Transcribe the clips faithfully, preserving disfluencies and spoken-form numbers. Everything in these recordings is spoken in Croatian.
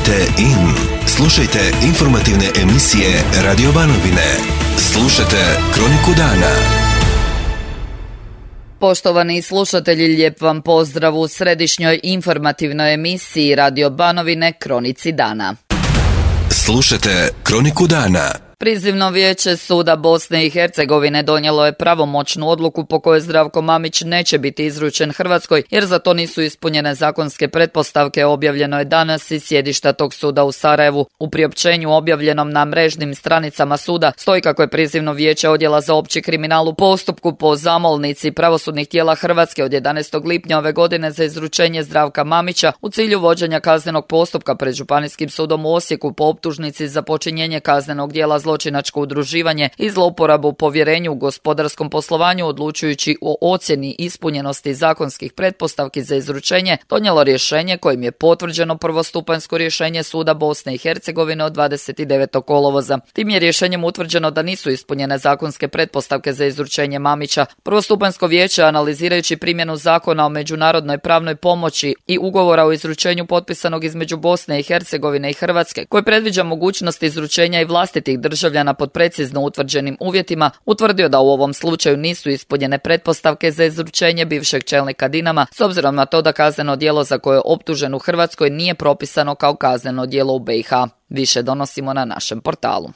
Kliknite in. Slušajte informativne emisije Radio Banovine. Slušajte Kroniku dana. Poštovani slušatelji, lijep vam pozdrav u središnjoj informativnoj emisiji Radio Banovine Kronici dana. Slušajte Kroniku dana. Prizivno vijeće suda Bosne i Hercegovine donijelo je pravomoćnu odluku po kojoj Zdravko Mamić neće biti izručen Hrvatskoj jer za to nisu ispunjene zakonske pretpostavke. Objavljeno je danas iz sjedišta tog suda u Sarajevu. U priopćenju objavljenom na mrežnim stranicama suda stoji kako je prizivno vijeće odjela za opći kriminal u postupku po zamolnici pravosudnih tijela Hrvatske od jedanaestog lipnja ove godine za izručenje Zdravka Mamića u cilju vođenja kaznenog postupka pred Županijskim sudom u Osijeku po optužnici za počinjenje kaznenog djela zločinačko udruživanje i zlouporabu u povjerenju u gospodarskom poslovanju, odlučujući o ocjeni ispunjenosti zakonskih pretpostavki za izručenje, donijelo rješenje kojim je potvrđeno prvostupanjsko rješenje suda Bosne i Hercegovine od dvadeset devetog kolovoza. Tim je rješenjem utvrđeno da nisu ispunjene zakonske pretpostavke za izručenje Mamića. Prvostupanjsko vijeće, analizirajući primjenu zakona o međunarodnoj pravnoj pomoći i ugovora o izručenju potpisanog između Bosne i Hercegovine i Hrvatske, koji predviđa mogućnost izručenja i vlastitih državljana pod precizno utvrđenim uvjetima, utvrdio da u ovom slučaju nisu ispunjene pretpostavke za izručenje bivšeg čelnika Dinama, s obzirom na to da kazneno djelo za koje je optužen u Hrvatskoj nije propisano kao kazneno djelo u B i H. Više donosimo na našem portalu.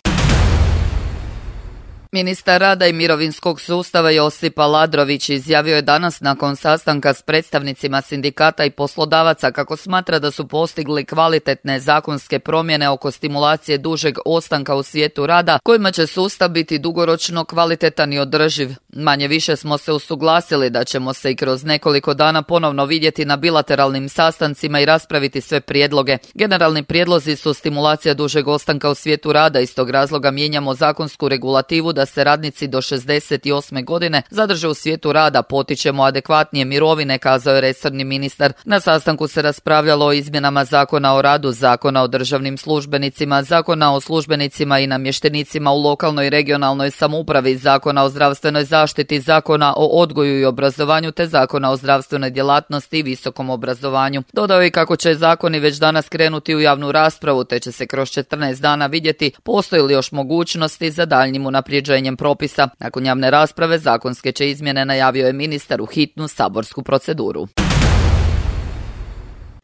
Ministar rada i mirovinskog sustava Josip Aladrović izjavio je danas nakon sastanka s predstavnicima sindikata i poslodavaca kako smatra da su postigli kvalitetne zakonske promjene oko stimulacije dužeg ostanka u svijetu rada, kojima će sustav biti dugoročno kvalitetan i održiv. Manje više smo se usuglasili da ćemo se i kroz nekoliko dana ponovno vidjeti na bilateralnim sastancima i raspraviti sve prijedloge. Generalni prijedlozi su stimulacija dužeg ostanka u svijetu rada, iz tog razloga mijenjamo zakonsku regulativu da se radnici do šezdeset osme godine zadrže u svijetu rada, potičemo adekvatnije mirovine, kazao je resorni ministar. Na sastanku se raspravljalo o izmjenama Zakona o radu, Zakona o državnim službenicima, Zakona o službenicima i namještenicima u lokalnoj i regionalnoj samoupravi, Zakona o zdravstvenoj zaštiti, Zakona o odgoju i obrazovanju te Zakona o zdravstvenoj djelatnosti i visokom obrazovanju. Dodao je kako će zakoni već danas krenuti u javnu raspravu te će se kroz četrnaest dana vidjeti postoji li još mogućnosti za daljnjim unapređenjem propisa. Nakon javne rasprave zakonske će izmjene, najavio je ministar, u hitnu saborsku proceduru.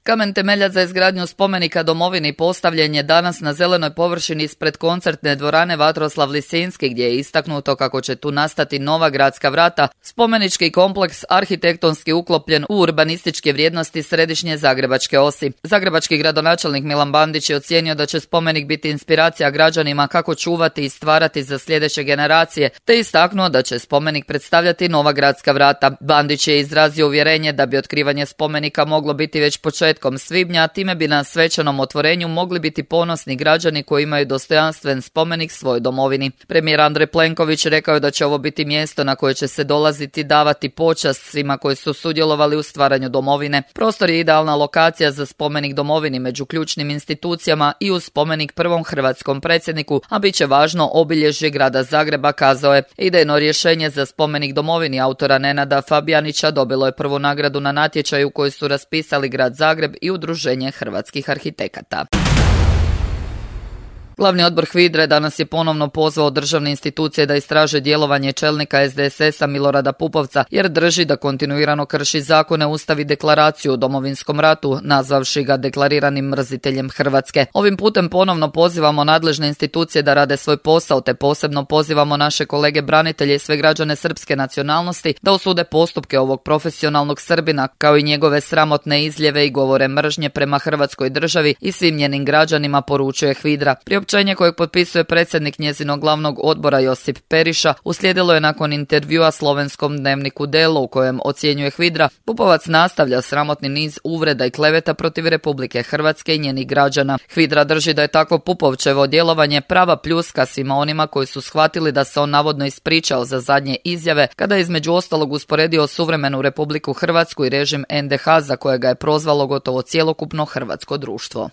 Kamen temeljac za izgradnju spomenika domovini postavljen je danas na zelenoj površini ispred koncertne dvorane Vatroslav Lisinski, gdje je istaknuto kako će tu nastati nova gradska vrata, spomenički kompleks arhitektonski uklopljen u urbanističke vrijednosti središnje zagrebačke osi. Zagrebački gradonačelnik Milan Bandić je ocijenio da će spomenik biti inspiracija građanima kako čuvati i stvarati za sljedeće generacije, te istaknuo da će spomenik predstavljati nova gradska vrata. Bandić je izrazio uvjerenje da bi otkrivanje spomenika moglo biti već početkom svibnja, time bi na svečanom otvorenju mogli biti ponosni građani koji imaju dostojanstven spomenik svojoj domovini. Premijer Andrej Plenković rekao je da će ovo biti mjesto na koje će se dolaziti davati počast svima koji su sudjelovali u stvaranju domovine. Prostor je idealna lokacija za spomenik domovini među ključnim institucijama i uz spomenik prvom hrvatskom predsjedniku, a bit će važno obilježje grada Zagreba, kazao je. Idejno rješenje za spomenik domovini autora Nenada Fabijanića dobilo je prvu nagradu na natječaju koji su raspisali grad Zagreb i Udruženje hrvatskih arhitekata. Glavni odbor HVIDRA danas je ponovno pozvao državne institucije da istraže djelovanje čelnika S D S S-a Milorada Pupovca jer drži da kontinuirano krši zakone, Ustav i deklaraciju o Domovinskom ratu, nazvavši ga deklariranim mrziteljem Hrvatske. Ovim putem ponovno pozivamo nadležne institucije da rade svoj posao, te posebno pozivamo naše kolege branitelje i sve građane srpske nacionalnosti da osude postupke ovog profesionalnog Srbina, kao i njegove sramotne izljeve i govore mržnje prema Hrvatskoj državi i svim njenim građanima, poručuje HVIDRA. Priopćenje kojeg potpisuje predsjednik njezinog glavnog odbora Josip Periša uslijedilo je nakon intervjua slovenskom dnevniku Delo, u kojem ocjenjuje HVIDRA Pupovac nastavlja sramotni niz uvreda i kleveta protiv Republike Hrvatske i njenih građana. HVIDRA drži da je takvo Pupovčevo djelovanje prava pljuska svima onima koji su shvatili da se on navodno ispričao za zadnje izjave kada je između ostalog usporedio suvremenu Republiku Hrvatsku i režim N D H za kojega je prozvalo gotovo cjelokupno hrvatsko društvo.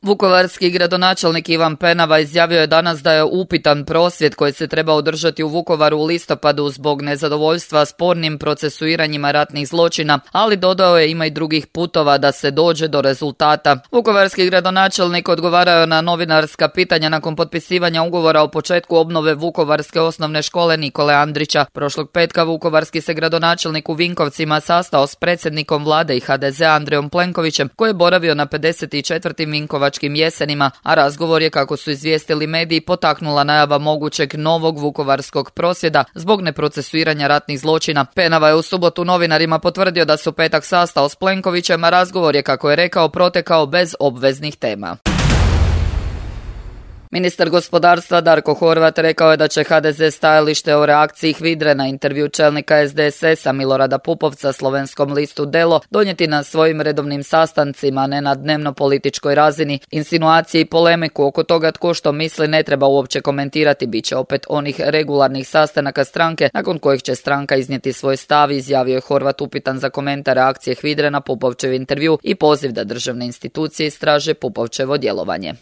Vukovarski gradonačelnik Ivan Penava izjavio je danas da je upitan prosvjed koji se treba održati u Vukovaru u listopadu zbog nezadovoljstva spornim procesuiranjima ratnih zločina, ali dodao je ima i drugih putova da se dođe do rezultata. Vukovarski gradonačelnik odgovarao na novinarska pitanja nakon potpisivanja ugovora o početku obnove Vukovarske osnovne škole Nikole Andrića. Prošlog petka vukovarski se gradonačelnik u Vinkovcima sastao s predsjednikom vlade i ha de zea Andrejom Plenkovićem, koji je boravio na pedeset četvrtim Vinkovačkim jesenima, a razgovor je, kako su izvijestili mediji, potaknula najava mogućeg novog vukovarskog prosvjeda zbog neprocesuiranja ratnih zločina. Penava je u subotu novinarima potvrdio da se u petak sastao s Plenkovićem, a razgovor je, kako je rekao, protekao bez obveznih tema. Ministar gospodarstva Darko Horvat rekao je da će ha de ze stajalište o reakciji HVIDRE na intervju čelnika es de es esa Milorada Pupovca slovenskom listu Delo donijeti na svojim redovnim sastancima, ne na dnevno političkoj razini. Insinuacije i polemiku oko toga tko što misli ne treba uopće komentirati, bit će opet onih regularnih sastanaka stranke nakon kojih će stranka iznijeti svoj stav, izjavio je Horvat upitan za komentar reakcije HVIDRE na Pupovčev intervju i poziv da državne institucije istraže Pupovčevo djelovanje.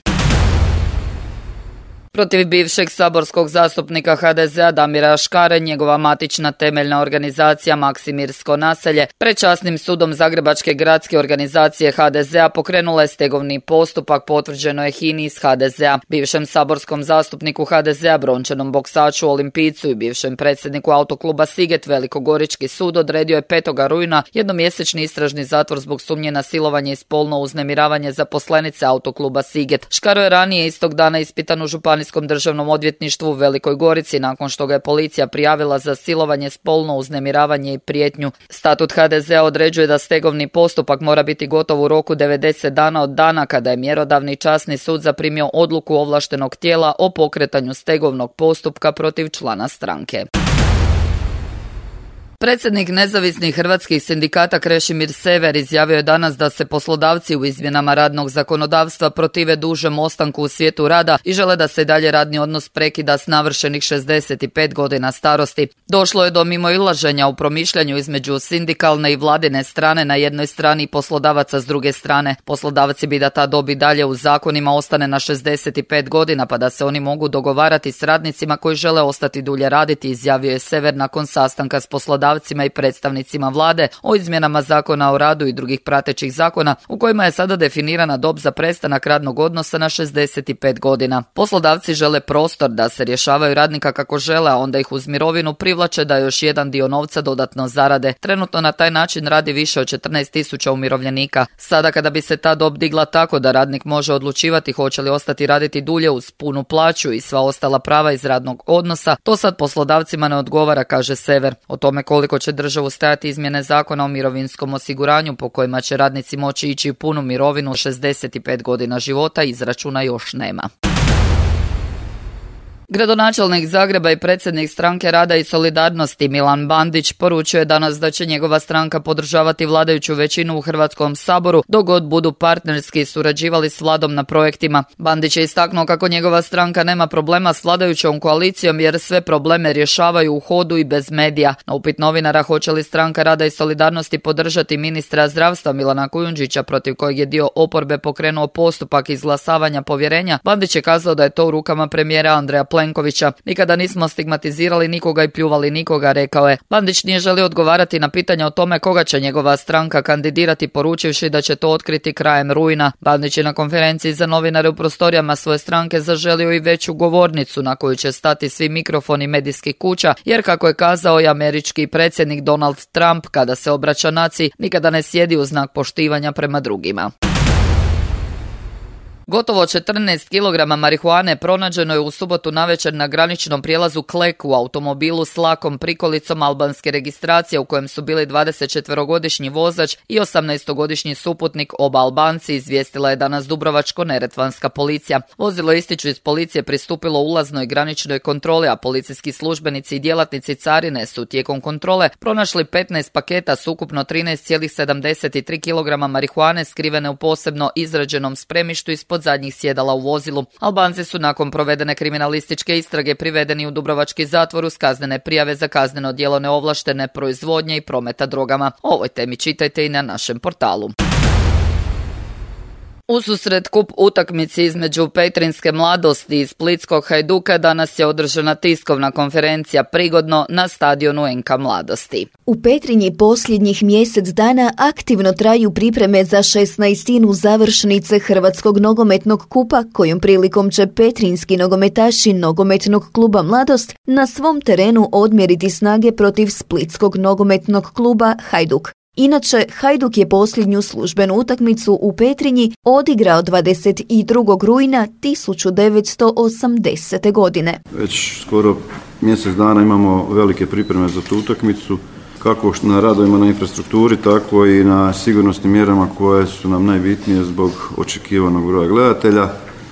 Protiv bivšeg saborskog zastupnika ha de zea Damira Škare, njegova matična temeljna organizacija Maksimirsko naselje, pred časnim sudom Zagrebačke gradske organizacije ha de zea pokrenula je stegovni postupak, potvrđeno je hini iz ha de zea. Bivšem saborskom zastupniku ha de zea, brončanom boksaču, olimpijcu i bivšem predsjedniku autokluba Siget Velikogorički sud odredio je petog rujna jednomjesečni istražni zatvor zbog sumnje na silovanje i spolno uznemiravanje zaposlenice autokluba Siget. Škaro je ranije istog dana ispitan u županijskom državnom odvjetništvu u Velikoj Gorici nakon što ga je policija prijavila za silovanje, spolno uznemiravanje i prijetnju. Statut ha de zea određuje da stegovni postupak mora biti gotov u roku devedeset dana od dana kada je mjerodavni časni sud zaprimio odluku ovlaštenog tijela o pokretanju stegovnog postupka protiv člana stranke. Predsjednik nezavisnih hrvatskih sindikata Krešimir Sever izjavio je danas da se poslodavci u izmjenama radnog zakonodavstva protive dužem ostanku u svijetu rada i žele da se dalje radni odnos prekida s navršenih šezdeset pet godina starosti. Došlo je do mimoilaženja u promišljanju između sindikalne i vladine strane na jednoj strani i poslodavaca s druge strane. Poslodavci bi da ta dob i dalje u zakonima ostane na šezdeset pet godina pa da se oni mogu dogovarati s radnicima koji žele ostati dulje raditi, izjavio je Sever nakon sastanka s poslodavcima i predstavnicima vlade o izmjenama zakona o radu i drugih pratećih zakona u kojima je sada definirana dob za prestanak radnog odnosa na šezdeset pet godina. Poslodavci žele prostor da se rješavaju radnika kako žele, a onda ih uz mirovinu privlače da još jedan dio novca dodatno zarade. Trenutno na taj način radi više od četrnaest tisuća umirovljenika. Sada kada bi se ta dob digla tako da radnik može odlučivati hoće li ostati raditi dulje uz punu plaću i sva ostala prava iz radnog odnosa, to sad poslodavcima ne odgovara, kaže Sever. O tome koliko će državu stajati izmjene zakona o mirovinskom osiguranju po kojima će radnici moći ići u punu mirovinu šezdeset pet godina života izračuna još nema. Gradonačelnik Zagreba i predsjednik Stranke rada i solidarnosti Milan Bandić poručio je danas da će njegova stranka podržavati vladajuću većinu u Hrvatskom saboru dok god budu partnerski surađivali s vladom na projektima. Bandić je istaknuo kako njegova stranka nema problema s vladajućom koalicijom jer sve probleme rješavaju u hodu i bez medija. Na upit novinara hoće li Stranka rada i solidarnosti podržati ministra zdravstva Milana Kujundžića protiv kojeg je dio oporbe pokrenuo postupak izglasavanja povjerenja, Bandić je kazao da je to u rukama premijera Andreja Plenkovića. Nikada nismo stigmatizirali nikoga i pljuvali nikoga, rekao je. Bandić nije želio odgovarati na pitanje o tome koga će njegova stranka kandidirati, poručivši da će to otkriti krajem rujna. Bandić je na konferenciji za novinare u prostorijama svoje stranke zaželio i veću govornicu na koju će stati svi mikrofoni medijskih kuća, jer kako je kazao i američki predsjednik Donald Trump, kada se obraća naciji, nikada ne sjedi u znak poštivanja prema drugima. Gotovo četrnaest kilograma marihuane pronađeno je u subotu navečer na graničnom prijelazu Klek u automobilu s lakom prikolicom albanske registracije u kojem su bili dvadesetčetverogodišnji vozač i osamnaestogodišnji suputnik, oba Albanci, izvijestila je danas Dubrovačko-neretvanska policija. Vozilo, ističu iz policije, pristupilo ulaznoj graničnoj kontroli, a policijski službenici i djelatnici carine su tijekom kontrole pronašli petnaest paketa s ukupno trinaest zarez sedamdeset tri kilograma marihuane skrivene u posebno izrađenom spremištu ispod zadnjih sjedala u vozilu. Albanci su nakon provedene kriminalističke istrage privedeni u dubrovački zatvor uz kaznene prijave za kazneno djelo neovlaštene proizvodnje i prometa drogama. O ovoj temi čitajte i na našem portalu. Ususret kup utakmici između petrinjske mladosti i splitskog Hajduka danas je održana tiskovna konferencija prigodno na stadionu en ka Mladosti. U Petrinji posljednjih mjesec dana aktivno traju pripreme za šesnaestinu završnice Hrvatskog nogometnog kupa, kojom prilikom će petrinjski nogometaši nogometnog kluba Mladost na svom terenu odmjeriti snage protiv splitskog nogometnog kluba Hajduk. Inače, Hajduk je posljednju službenu utakmicu u Petrinji odigrao dvadeset drugog rujna tisuću devetsto osamdesete. godine. Već skoro mjesec dana imamo velike pripreme za tu utakmicu, kako na radovima na infrastrukturi, tako i na sigurnosnim mjerama koje su nam najbitnije zbog očekivanog broja gledatelja.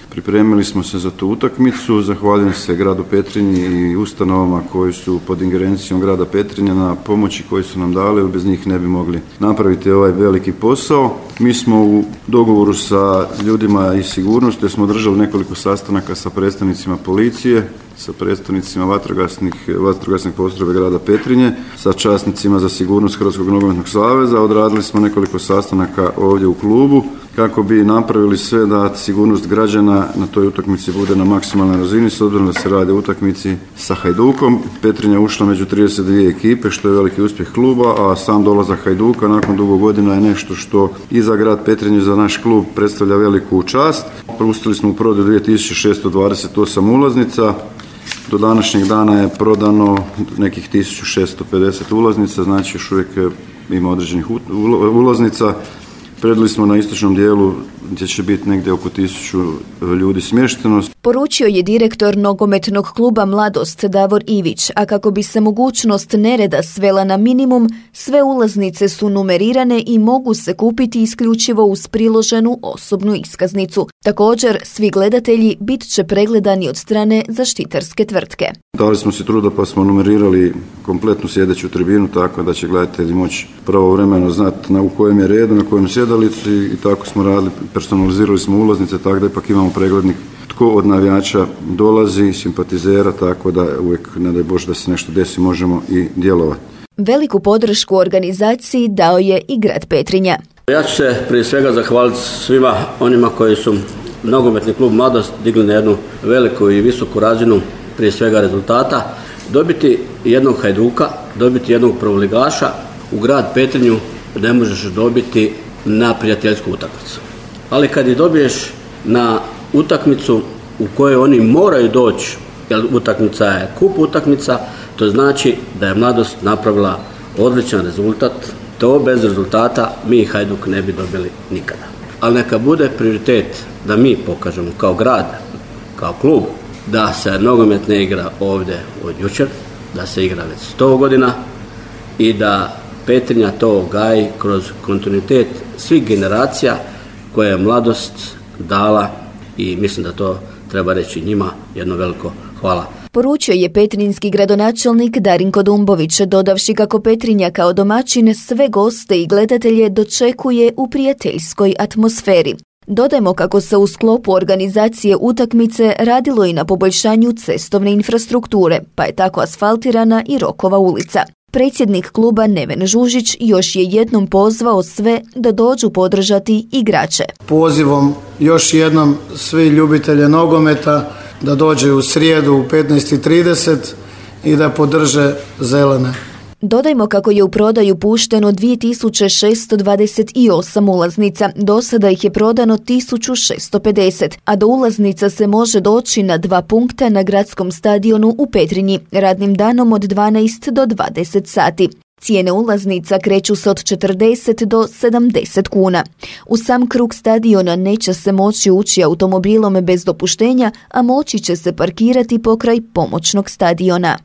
Pripremili smo se za tu utakmicu, zahvaljujem se gradu Petrinji i ustanovama koji su pod ingerencijom grada Petrinja na pomoći koji su nam dali, jer bez njih ne bi mogli napraviti ovaj veliki posao. Mi smo u dogovoru sa ljudima iz sigurnosti, smo održali nekoliko sastanaka sa predstavnicima policije, sa predstavnicima vatrogasnih, vatrogasnih postrojbe grada Petrinje, sa časnicima za sigurnost Hrvatskog nogometnog saveza. Odradili smo nekoliko sastanaka ovdje u klubu kako bi napravili sve da sigurnost građana na toj utakmici bude na maksimalnoj razini, s obzirom da se radi o utakmici sa Hajdukom. Petrinja ušla među trideset dvije ekipe, što je veliki uspjeh kluba, a sam dolazak Hajduka nakon dugo godina je nešto što i za grad Petrinju, za naš klub predstavlja veliku čast. Pustili smo u prodaju dvije tisuće šesto dvadeset osam ulaznica. Do današnjeg dana je prodano nekih tisuću šesto pedeset ulaznica, znači još uvijek ima određenih ulaznica. Predali smo na istočnom dijelu gdje će biti negdje oko tisuću ljudi smješteno. Poručio je direktor nogometnog kluba Mladost Davor Ivić, a kako bi se mogućnost nereda svela na minimum, sve ulaznice su numerirane i mogu se kupiti isključivo uz priloženu osobnu iskaznicu. Također, svi gledatelji bit će pregledani od strane zaštitarske tvrtke. Dali smo si truda pa smo numerirali kompletnu sjedeću tribinu, tako da će gledatelji moći pravovremeno znati na u kojem je redu, na kojem sjedalici, i tako smo radili, personalizirali smo ulaznice, tako da ipak imamo preglednik tko od navijača dolazi, simpatizera, tako da uvijek, ne daj Bože da se nešto desi, možemo i djelovati. Veliku podršku organizaciji dao je i grad Petrinja. Ja ću se prije svega zahvaliti svima onima koji su nogometni klub Mladost digli na jednu veliku i visoku razinu, prije svega rezultata. Dobiti jednog Hajduka, dobiti jednog prvoligaša u grad Petrinju ne možeš dobiti na prijateljsku utakmicu. Ali kad je dobiješ na utakmicu u kojoj oni moraju doći, jer utakmica je kup utakmica, to znači da je Mladost napravila odličan rezultat. To bez rezultata mi i Hajduk ne bi dobili nikada. Ali neka bude prioritet da mi pokažemo kao grad, kao klub, da se nogomet ne igra ovdje od jučer, da se igra već sto godina i da Petrinja to gaji kroz kontinuitet svih generacija koje je Mladost dala, i mislim da to treba reći njima jedno veliko hvala. Poručio je petrinjski gradonačelnik Darinko Dumbović, dodavši kako Petrinja kao domaćin sve goste i gledatelje dočekuje u prijateljskoj atmosferi. Dodajmo kako se u sklopu organizacije utakmice radilo i na poboljšanju cestovne infrastrukture, pa je tako asfaltirana i Rokova ulica. Predsjednik kluba Neven Žužić još je jednom pozvao sve da dođu podržati igrače. Pozivom još jednom svi ljubitelje nogometa da dođe u srijedu u petnaest i trideset i da podrže zelene. Dodajmo kako je u prodaju pušteno dvije tisuće šesto dvadeset osam ulaznica, do sada ih je prodano tisuću šesto pedeset, a do ulaznica se može doći na dva punkta na gradskom stadionu u Petrinji, radnim danom od dvanaest do dvadeset sati. Cijene ulaznica kreću se od četrdeset do sedamdeset kuna. U sam krug stadiona neće se moći ući automobilom bez dopuštenja, a moći će se parkirati pokraj pomoćnog stadiona.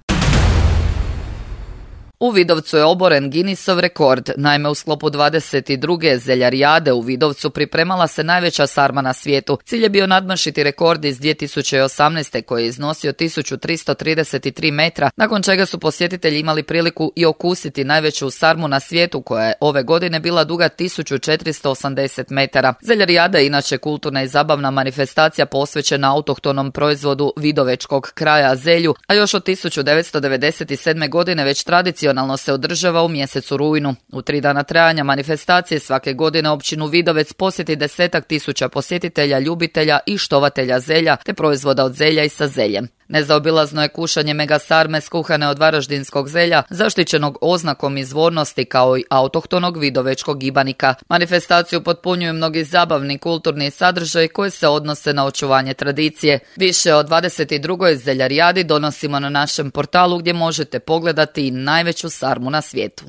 U Vidovcu je oboren Guinnessov rekord. Naime, u sklopu dvadeset druge zeljarijade u Vidovcu pripremala se najveća sarma na svijetu. Cilj je bio nadmašiti rekord iz dvije tisuće osamnaeste koji je iznosio tisuću tristo trideset tri metra, nakon čega su posjetitelji imali priliku i okusiti najveću sarmu na svijetu koja je ove godine bila duga tisuću četiristo osamdeset metara. Zeljarijada je inače kulturna i zabavna manifestacija posvećena autohtonom proizvodu vidovečkog kraja zelju, a još od tisuću devetsto devedeset sedme godine već tradicionalno Tradicionalno se održava u mjesecu rujnu. U tri dana trajanja manifestacije svake godine općinu Vidovec posjeti desetak tisuća posjetitelja, ljubitelja i štovatelja zelja te proizvoda od zelja i sa zeljem. Nezaobilazno je kušanje megasarme skuhane od varaždinskog zelja, zaštićenog oznakom izvornosti kao i autohtonog vidovečkog ibanika. Manifestaciju potpunjuju mnogi zabavni kulturni sadržaj koji se odnose na očuvanje tradicije. Više o dvadeset drugoj zeljarijadi donosimo na našem portalu gdje možete pogledati i najveću sarmu na svijetu.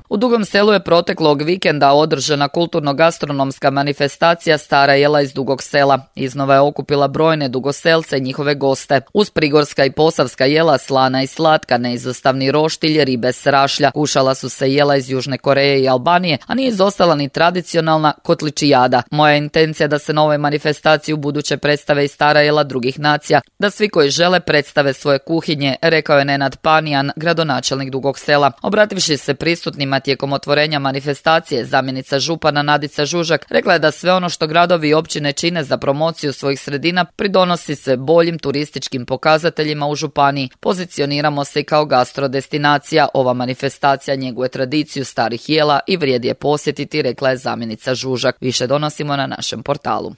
U Dugom Selu je proteklog vikenda održana kulturno-gastronomska manifestacija Stara jela iz Dugog Sela. Iznova je okupila brojne dugoselce i njihove goste. Uz prigorska i posavska jela, slana i slatka, neizostavni roštilj, ribe s rašlja. Kušala su se jela iz Južne Koreje i Albanije, a nije izostala ni tradicionalna kotličijada. Moja intencija da se na ovoj manifestaciji u buduće predstave i stara jela drugih nacija, da svi koji žele predstave svoje kuhinje, rekao je Nenad Panijan, gradonačelnik Dugog Sela. Obrativši se prisutnima tijekom otvorenja manifestacije, zamjenica župana Nadica Žužak rekla je da sve ono što gradovi i općine čine za promociju svojih sredina pridonosi se boljim turističkim pokazateljima u županiji. Pozicioniramo se kao gastrodestinacija. Ova manifestacija njeguje tradiciju starih jela i vrijedi je posjetiti, rekla je zamjenica Žužak. Više donosimo na našem portalu.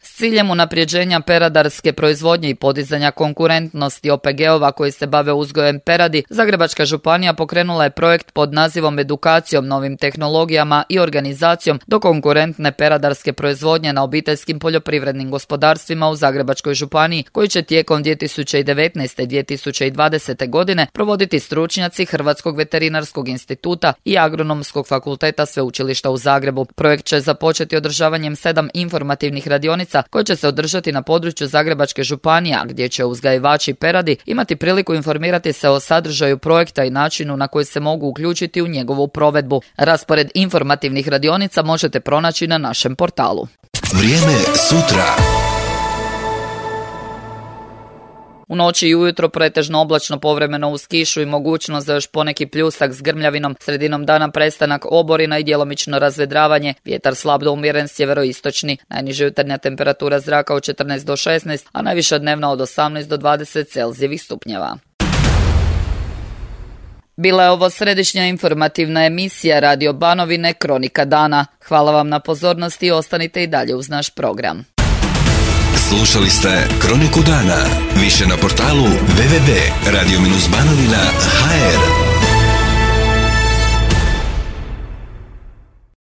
S ciljem unapređenja peradarske proizvodnje i podizanja konkurentnosti O P G-ova koji se bave uzgojem peradi, Zagrebačka županija pokrenula je projekt pod nazivom Edukacijom novim tehnologijama i organizacijom do konkurentne peradarske proizvodnje na obiteljskim poljoprivrednim gospodarstvima u Zagrebačkoj županiji, koji će tijekom dvije tisuće devetnaeste. i dvije tisuće dvadesete. godine provoditi stručnjaci Hrvatskog veterinarskog instituta i Agronomskog fakulteta Sveučilišta u Zagrebu. Projekt će započeti održavanjem sedam informativnih radionica koje će se održati na području Zagrebačke županije, gdje će uzgajivači peradi imati priliku informirati se o sadržaju projekta i načinu na koji se mogu uključiti u njegovu provedbu. Raspored informativnih radionica možete pronaći na našem portalu. Vrijeme sutra. U noći i ujutro pretežno oblačno, povremeno uz kišu i mogućnost za još poneki pljusak s grmljavinom. Sredinom dana prestanak oborina i djelomično razvedravanje. Vjetar slab do umjeren sjeveroistočni. Najniža jutarnja temperatura zraka od četrnaest do šesnaest, a najviša dnevna od osamnaest do dvadeset Celzijevih stupnjeva. Bila je ovo središnja informativna emisija Radio Banovine Kronika dana. Hvala vam na pozornosti i ostanite i dalje uz naš program. Slušali ste Kroniku dana. Više na portalu w w w tačka radio banovina tačka h r.